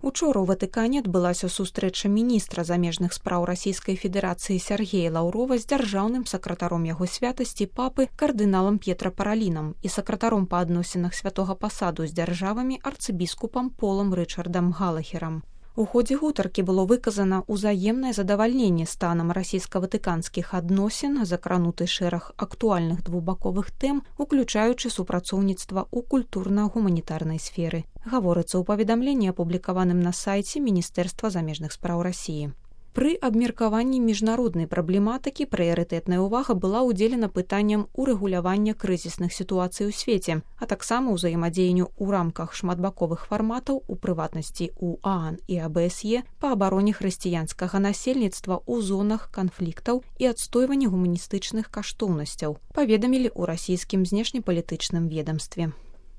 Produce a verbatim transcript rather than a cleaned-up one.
Учора ў Ватыкане адбылася сустрэча міністра замежных спраў Расійскай Федэрацыі Сяргея Лаўрова з дзяржаўным сакратаром яго святасці папы кардыналам П'етра Паралінам і сакратаром па адносінах святога пасаду з дзяржавамі арцыбіскупам Полам Рычардам Галахерам. У ходзе гутаркі было выказана ўзаемнае задавальненне станам расійска-ватыканскіх адносін, закрануты шэраг актуальных двухбаковых тэм, уключаючы супрацоўніцтва ў культурна-гуманітарнай сферы. Гаворыцца ў паведамленні, апублікаваным на сайце Міністэрства замежных спраў Расіі. Пры абмеркаванні міжнароднай праблематыкі прыярытэтная ўвага была ўдзелена пытанням урэгулявання крызісных сітуацый у свеце, а таксама ўзаемадзеянню ў рамках шматбаковых фарматаў, у прыватнасці ў ААН і АБСЕ па абароне хрысціянскага насельніцтва ў зонах канфліктаў і адстойванні гуманістычных каштоўнасцяў, паведамілі ў расійскім знешнепалітычным ведамстве.